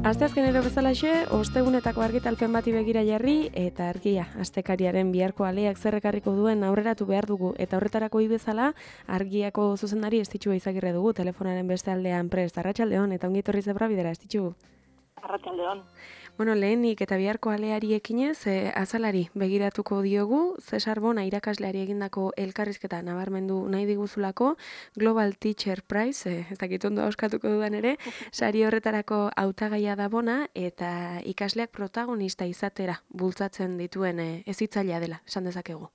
Asteazkenero bezalaxe, ostegunetako argitalpen bati begira jarri eta argia astekariaren biharko aleak zerrekarriko duen aurreratu behar dugu eta horretarako bezala argiako zuzendari Estitxu Izagirre dugu telefonaren beste aldean prest. Arratsaldeon eta ongi etorri zebra bidera Estitxu. Arratsaldeon. Bueno, lehenik eta biharko aleari ekinez, azalari begiratuko diogu, Cesar Bona irakasleari egindako elkarrizketa nabarmendu nahi diguzulako, Global Teacher Prize, ez dakit ondo auskatuko dudan ere, sari horretarako hautagaia da Bona, eta ikasleak protagonista izatera bultzatzen dituen hezitzailea dela, esan dezakegu.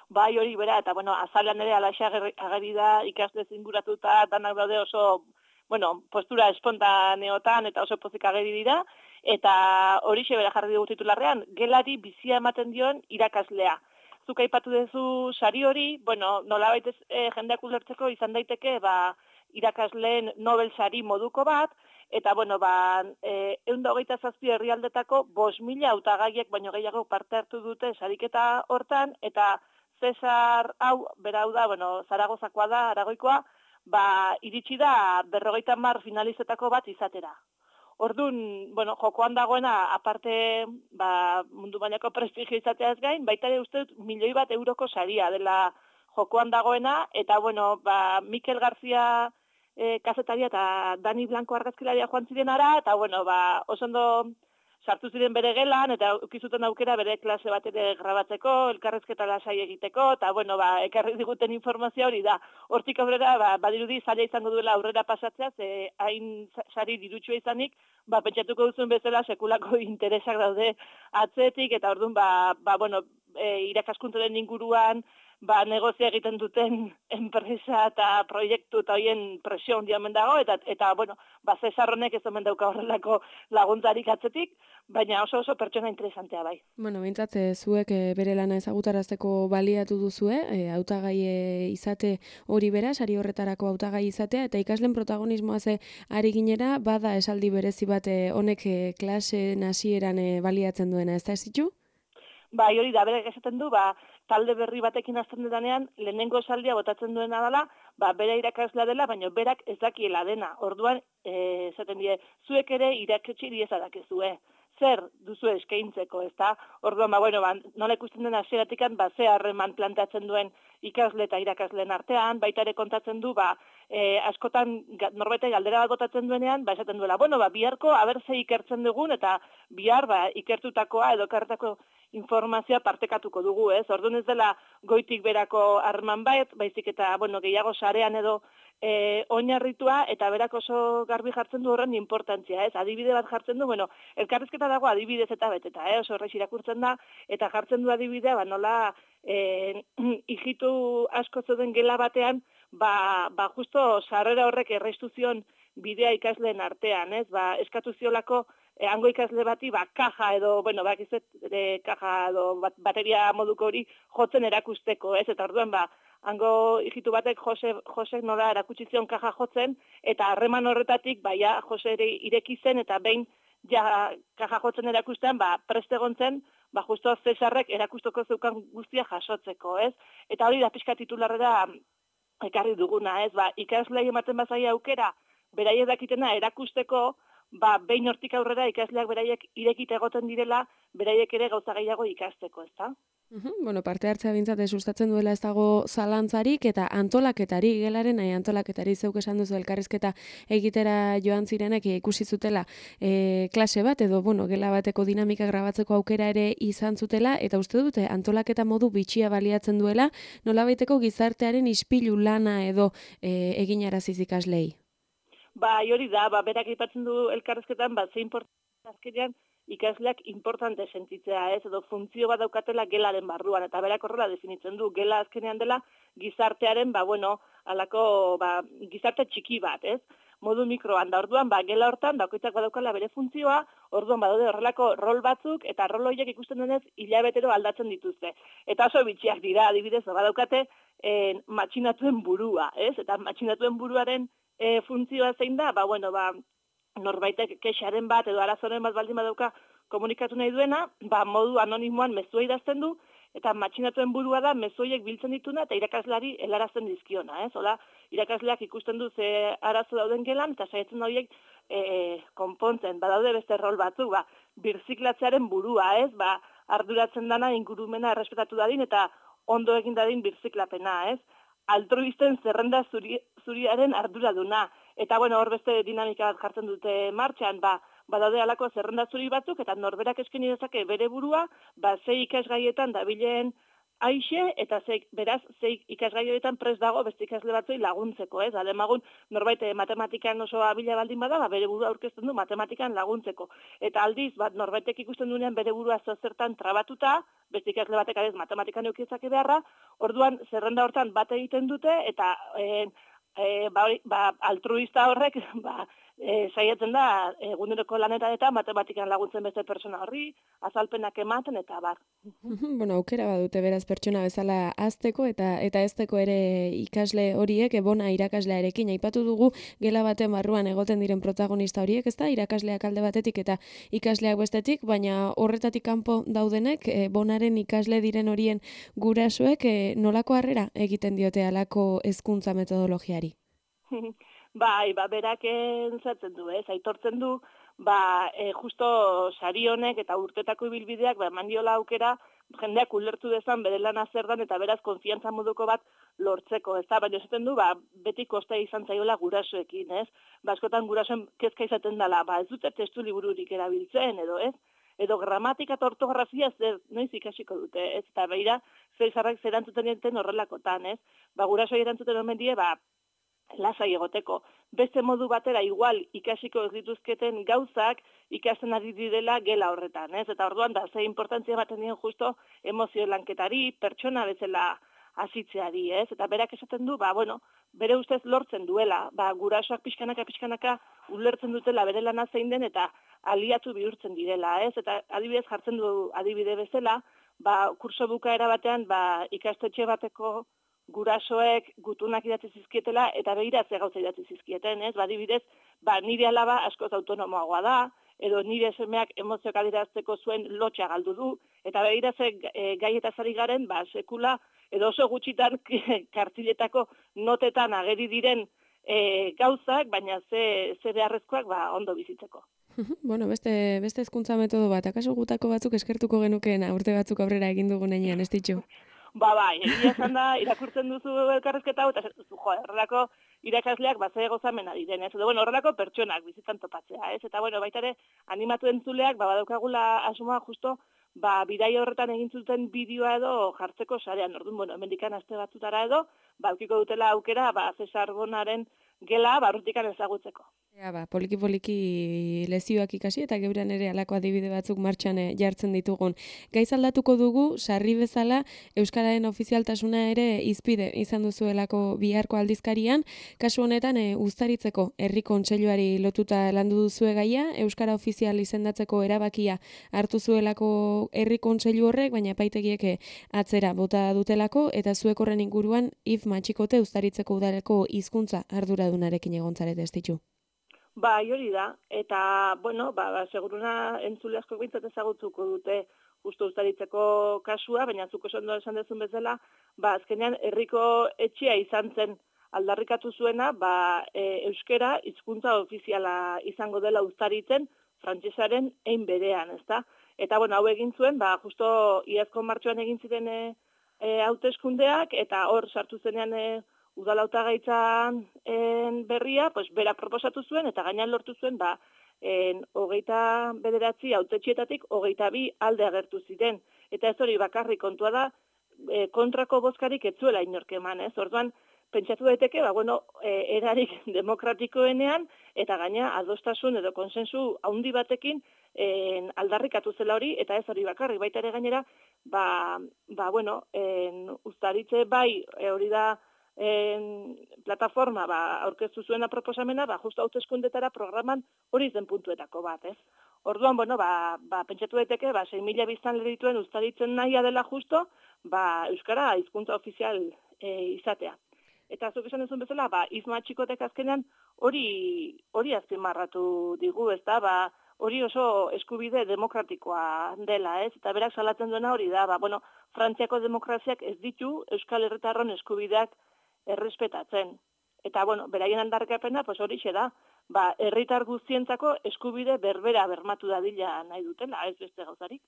Bai, hori bera, eta azalean ere alaxe ageri da ikasle inguratuta, danak daude oso, postura espontaneotan eta oso pozik ageri dira, eta horixe bera jarri dugu titularrean, gelari bizia ematen dion irakaslea. Zuk aipatu duzu sari hori, nolabait jendeak ulertzeko izan daiteke, irakasleen Nobel sari moduko bat, eta 127 herrialdetako 5.000 hautagaiek baino gehiago parte hartu dute sariketa hortan, eta Cesar hau, berau da, Zaragozakoa da, Aragoikoa, iritsi da 50 finalizetako bat izatera. Orduan, jokoan dagoena, aparte, mundu mailako prestigio izateaz gain, baita ere uste dut 1.000.000 euroko saria dela jokoan dagoena, eta Mikel García kazetaria eta Dani Blanco argazkilaria joan ziren ara, eta oso ondo sartu ziren bere gelan, eta ukizuten aukera bere klase bat ere grabatzeko, elkarrezketa lasai egiteko, eta ekarri diguten informazioa hori da. Hortik aurrera, badirudi zaila izango duela aurrera pasatzea, ze hain sari dirutsua izanik, pentsatuko duzuen bezala sekulako interesak daude atzetik, eta orduan, irakaskuntzaren inguruan, negozia egiten duten enpresa eta proiektu eta hoien presio handia omen dago, eta Cesar honek ez omen dauka horrelako laguntzarik atzetik, baina oso pertsona interesantea bai. Behintzat, zuek bere lana ezagutarazteko baliatu duzue, hautagai izate hori bera, sari horretarako hautagai izatea, eta ikasleen protagonismoa ari ginera, bada esaldi berezi bat honek klase hasieran baliatzen duena, ez da Estitxu? Bai, hori da, berek esaten du, talde berri batekin hasten dudanean, lehenengo esaldia botatzen duena dela, bera irakaslea dela, baina berak ez dakiela dena. Orduan, esaten die, zuek ere irakatsi diezadakezue. Zer duzu eskaintzeko, ezta? Orduan, nola ikusten den hasieratikan, ze harreman planteatzen duen ikasle eta irakasleen artean, baita ere kontatzen du, askotan norbaitek galdera bat botatzen duenean, esaten duela, biharko abertze ikertzen dugun, eta bihar ikertutakoa edo kartako informazioa partekatuko dugu, ez? Orduan ez dela goitik berako harreman baizik eta, gehiago sarean edo oinarritua, eta berak oso garbi jartzen du horren importantzia, ez? Adibide bat jartzen du, elkarrizketa dago adibidez eta beteta, oso horreiz irakurtzen da, eta jartzen du adibidea, nola hijitu asko zeuden gela batean, justo sarrera horrek erraistu zion bidea ikasleen artean, ez? Eskatu ziolako hango ikasle bati, kaja edo, kaja edo bateria moduko hori jotzen erakusteko, ez? Eta orduan, hango hijitu batek Josek nola erakutsi zion kaja jotzen, eta harreman horretatik, Jose ere ireki zen, eta behin kaja jotzen erakustean, prest egon zen, justo Cesarrek erakusteko zeukan guztia jasotzeko, ez? Eta hori da pixka titularrera ekarri duguna, ez? Ikaslei ematen bazaia aukera, beraiek dakitena erakusteko, behin hortik aurrera ikasleak beraiek irekita egoten direla, beraiek ere gauza gehiago ikasteko, ezta? Parte hartzea bintzat sustatzen duela ez dago zalantzarik, eta antolaketari, gelaren antolaketari zeuk esan duzu elkarrizketa egitera joan zirenek ikusi zutela klase bat, edo gela bateko dinamika grabatzeko aukera ere izan zutela, eta uste dute antolaketa modu bitxia baliatzen duela, nolabaiteko gizartearen ispilu lana edo eginaraziz ikaslei? Hori da, berak aipatzen du elkarrizketan, ze importantzia azkenean ikasleak importante sentitzea, ez, edo funtzio bat daukatela gelaren barruan, eta berak horrela definitzen du, gela azkenean dela gizartearen, alako, gizarte txiki bat, ez, modu mikroan, da orduan, gela hortan, bakoitzak badaukala bere funtzioa, orduan badaude horrelako rol batzuk, eta rol horiek ikusten denez, hilabetero aldatzen dituzte. Eta oso bitxiak dira, adibidez, badaukate matxinatuen burua, ez, eta matxinatuen buruaren funtzioa zein da, norbaitek kexaren bat edo arazoren bat baldin badauka komunikatu nahi duena, modu anonimoan mezua idazten du, eta matxinatuen burua da mezu horiek biltzen dituna eta irakaslari helarazten dizkiona, ez? Hola, irakasleak ikusten du ze arazo dauden gelan, eta saiatzen da horiek konpontzen, badaude beste rol batzuk, birziklatzearen burua, ez, arduratzen dana ingurumena errespetatu dadin, eta ondo egin dadin birziklapena, ez, altruisten zerrenda zuriaren arduraduna. Eta, bueno, hor beste dinamika bat jartzen dute martxan, badaude alako zerrenda zuri batzuk, eta norberak eskaini dezake bere burua, sei ikasgaietan dabilen aixe, eta beraz, sei ikasgaietan prest dago beste ikasle batzui laguntzeko, ez? Ademagun, norbait matematikan oso abila baldin bada, bere burua aurkezten du matematikan laguntzeko. Eta aldiz, norbaitek ikusten duenean bere burua zertan trabatuta, beste ikasle batek adez matematikan eukietzake beharra, orduan zerrenda hortan bat egiten dute, eta altruista horrek saiatzen da eguneroko lanetan eta matematikan laguntzen beste pertsona horri, azalpenak ematen eta bar. Bueno, aukera badute beraz pertsona bezala hazteko eta hezteko ere ikasle horiek bona irakaslearekin aipatu dugu gela baten barruan egoten diren protagonista horiek, ezta? Irakasleak alde batetik eta ikasleak bestetik, baina horretatik kanpo daudenek bonaren ikasle diren horien gurasoek nolako harrera egiten diote halako hezkuntza metodologiari? Berak entzatzen du, aitortzen du, justo sari honek eta urtetako ibilbideak eman diola aukera jendeak ulertu dezan bere lana zer dan eta beraz konfiantza moduko bat lortzeko, ez da, baina esaten du, beti kosta izan zaiola gurasoekin, ez? Askotan gurasoen kezka izaten dela, ez dute testu libururik erabiltzen, edo, ez? Edo gramatika eta ortografia noiz ikasiko dute, ez? Eta beira, zeizarrak zerantzuten dienten horrelakotan, ez? Gurasoi erantzuten omen die, lasai egoteko. Beste modu batera igual ikasiko ez dituzketen gauzak ikasten ari direla gela horretan, ez? Eta orduan ze importantzia ematen dien justo emozio lanketari, pertsona bezala hasitzeari, ez? Eta berak esaten du, bere ustez lortzen duela, gurasoak pixkanaka ulertzen dutela bere lana zein den eta aliatu bihurtzen direla, ez? Eta adibidez jartzen du adibide bezala, kurso bukaera batean, ikastetxe bateko gurasoek gutunak idatzi zizkietela eta begira ze gauza idatzi zizkieten, ez? Adibidez, nire alaba askoz autonomoagoa da, edo nire semeak emozioak adierazteko zuen lotxa galdu du, eta begira ze gaietaz ari garen, sekula, edo oso gutxitan kartziletako notetan ageri diren gauzak, baina ze beharrezkoak ondo bizitzeko. Bueno, beste hezkuntza metodo bat, akaso gutako batzuk eskertuko genukeena urte batzuk aurrera egin dugun heinean, ez ditxu? Egia esan da, irakurtzen duzu elkarrezketa hau, eta duzu, horrelako irakasleak ze gozamena diren, ez? Edo, horrelako pertsonak bizitan topatzea, ez? Eta, baita ere, animatu entzuleak, badaukagula asmoa justo, bidai horretan egin zuten bideoa edo jartzeko sarean, orduan, hemendikan aste batzutara edo, aukiko dutela aukera, Cesar Bonaren gela, urrutikan ezagutzeko. Poliki lezioak ikasi eta geurean ere halako adibide batzuk martxan jartzen ditugun. Gaiz aldatuko dugu, sarri bezala, Euskararen ofizialtasuna ere hizpide izan duzuelako biharko aldizkarian, kasu honetan uztaritzeko herri kontseiluari lotuta landu duzue gaia, Euskara ofizial izendatzeko erabakia hartu zuelako herri kontseilu horrek, baina epaitegiek atzera bota dutelako, eta zuek horren inguruan if matxikote uztaritzeko udaleko hizkuntza arduradunarekin egontzarete ez ditu. Hori da, eta, seguruna entzule asko bintzat ezagutzuko dute justu uztaritzeko kasua, baina zuko ondo esan dezun bezala, azkenean herriko etxea izan zen aldarrikatu zuena, euskera hizkuntza ofiziala izango dela uztaritzen frantsesaren ein berean, ezta? Eta, hau egin zuen, justo iazko martxoan egin ziren hauteskundeak, eta hor sartu zenean udal hautagaitzan berria, berak proposatu zuen, eta gainean lortu zuen, 29 hautetxietatik 22 alde agertu ziren. Eta ez hori bakarrik kontua da, kontrako bozkarik ez zuela inork eman, ez? Orduan, pentsatu daiteke, erarik demokratikoenean, eta gaina adostasun edo konsensu handi batekin aldarrikatu zela hori, eta ez hori bakarrik, baita ere gainera, uztaritze hori da, plataforma aurkeztu zuena proposamena, justo hauteskundetara programan hori zen puntuetako bat, ez? Orduan, pentsatu daiteke, 6.000 biztanle dituen uztaritzen nahia dela justo, euskara hizkuntza ofizial izatea. Eta zuk esan duzun bezala, izma txikotek azkenean hori azpimarratu digu, ez da, hori oso eskubide demokratikoa dela, ez? Eta berak salatzen duena hori da, Frantziako demokraziak ez ditu Euskal Herritarron eskubideak errespetatzen. Eta, bueno, beraien aldarrikapena, pues horixe da, herritar guztientzako eskubide berbera bermatu dadila nahi dutela, ez beste gauzarik.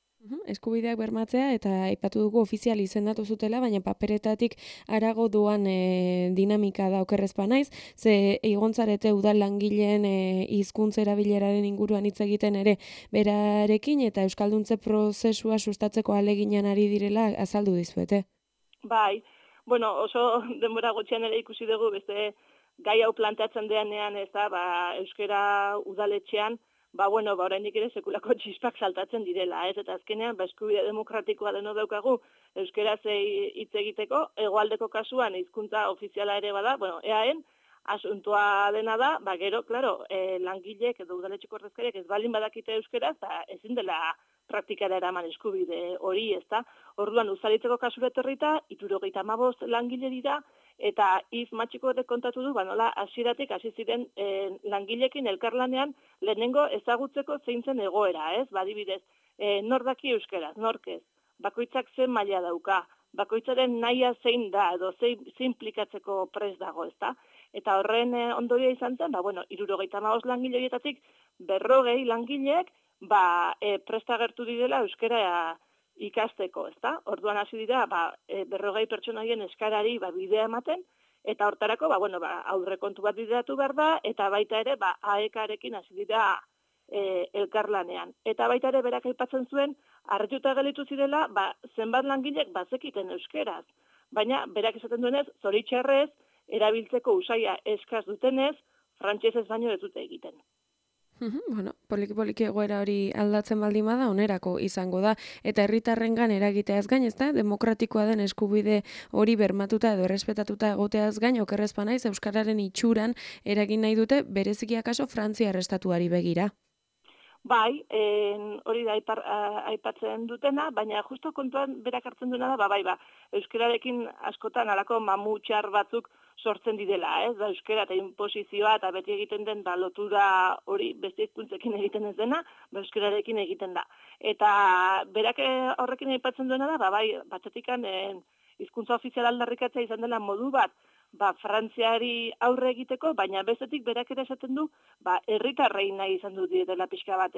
Eskubideak bermatzea eta aipatu dugu ofizial izendatu zutela, baina paperetatik harago doan dinamika da okerrezpa naiz, ze igontzarete udal langileen hizkuntza erabileraren inguruan hitz egiten ere berarekin eta euskalduntze prozesua sustatzeko ahaleginan ari direla azaldu dizuete. Bai, bueno, oso denbora gutxian ere ikusi dugu beste gai hau planteatzen denean, ez da, euskara udaletxean, oraindik ere sekulako txispak saltatzen direla, ez? Eta azkenean, eskubide demokratikoa deno daukagu euskaraz hitz egiteko, hegoaldeko kasuan hizkuntza ofiziala ere bada, EAen, asuntua dena da, gero, klaro, langilek edo udaletxeko ordezkariek ez baldin badakite euskaraz, ezin dela praktikara eraman eskubide hori, ez da? Orduan, uzalitzeko kasura etorrita, 75 langile dira, eta matxiko kontatu du, nola hasieratik hasi ziren langilekin elkarlanean lehenengo ezagutzeko zein zen egoera, ez? Adibidez, nor daki euskaraz, nork ez? Bakoitzak zen maila dauka, bakoitzaren nahia zein da, edo zein implikatzeko prest dago, ez da? Eta horren ondoria izan zen, 75 langile horietatik 40 langileek prest agertu direla euskara ikasteko, ezta? Orduan hasi dira, 40 pertsonaien eskarari bidea ematen, eta hortarako, aurrekontu bat bideratu behar da, eta baita ere, AEK-arekin hasi dira elkarlanean. Eta baita ere, berak aipatzen zuen, harrituta gelitu zirela, zenbat langilek bazekiten euskeraz. Baina, berak esaten duenez, zoritxarrez, erabiltzeko usaia eskaz dutenez, frantsesez baino ez dute egiten. Poliki egoera hori aldatzen baldin bada onerako izango da eta herritarrengan eragiteaz gain, ezta? Demokratikoa den eskubide hori bermatuta edo errespetatuta egoteaz gain okerrezpa naiz euskararen itxuran eragin nahi dute bereziki akaso Frantziar estatuari begira. Bai, hori da aipatzen dutena, baina justo kontuan berak hartzen duena da, euskararekin askotan alako mamutxar batzuk sortzen direla, ez? Euskara eta inposizioa eta beti egiten den lotura hori beste hizkuntzekin egiten ez dena, euskararekin egiten da. Eta berak horrekin aipatzen duena da, batzetikan hizkuntza ofizial aldarrikatzea izan dela modu bat, Frantziari aurre egiteko, baina bestetik berak ere esaten du, herritarrei nahi izan dut direla pixka bat,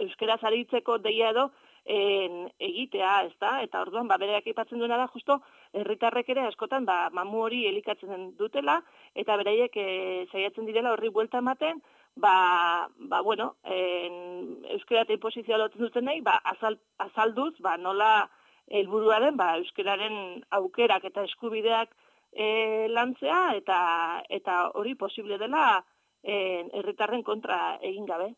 euskaraz aritzeko deia edo egitea, ez da? Eta orduan, berak aipatzen duena da, justo, herritarrek ere askotan, mamu hori elikatzen dutela, eta beraiek saiatzen direla horri buelta ematen, euskara eta inposizioa lotzen duten nahi, azalduz, nola helburuaren, euskararen aukerak eta eskubideak lantzea, eta hori posible dela herritarren kontra egin gabe.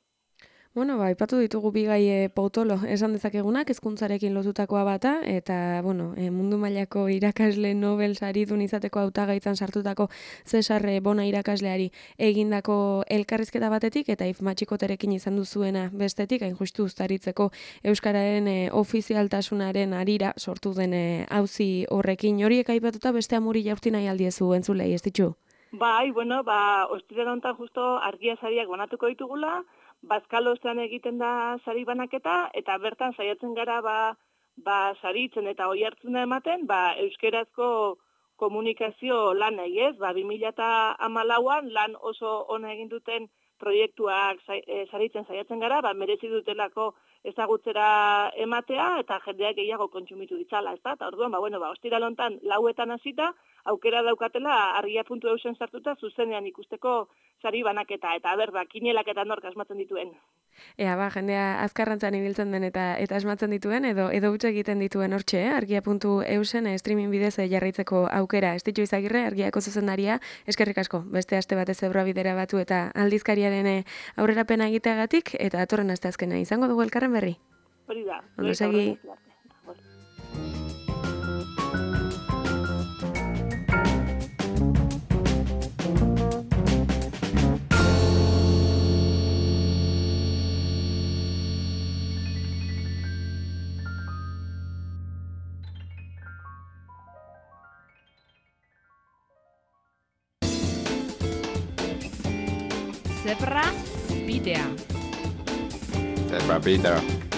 Aipatu ditugu bi gai potolo esan dezakegunak, hezkuntzarekin lotutakoa bata, eta, mundu mailako irakasle Nobel saridun izateko hautagaitzan sartutako Cesar Bona irakasleari egindako elkarrizketa batetik, eta matxikoterekin izan duzuena bestetik, hain justu uztaritzeko euskararen ofizialtasunaren arira sortu den auzi horrekin. Horiek aipatuta beste amuri jaurti nahi aldiezu entzulei, ez ditzu? Bai, ostiral honetan justo argia sariak banatuko ditugula, Bazkalostean egiten da sari banaketa, eta bertan saiatzen gara saritzen eta oihartzuna ematen, euskerazko komunikazio lan ez, 2014an lan oso ona egin duten proiektuak saritzen saiatzen gara, merezi dutelako ezagutzera ematea, eta jendeak gehiago kontsumitu ditzala, ez da? Eta orduan, ostiral honetan 4etan hasita, aukera daukatela argia.eusen sartuta zuzenean ikusteko sari banaketa, eta kinelak eta nork asmatzen dituen. Jendea azkarrantzan ibiltzen den eta asmatzen dituen, edo utxe egiten dituen hortxe, argia.eusen streaming bidez jarraitzeko aukera. Estitxu Izagirre, argiako zuzendaria, eskerrik asko, beste aste batez Ebroa bidera batu eta aldizkariaren aurrerapena egiteagatik, eta atorren asteazkena izango dugu elkarren berri. Hori da. Ondo segi. Zebra bidea. Zebra bidea.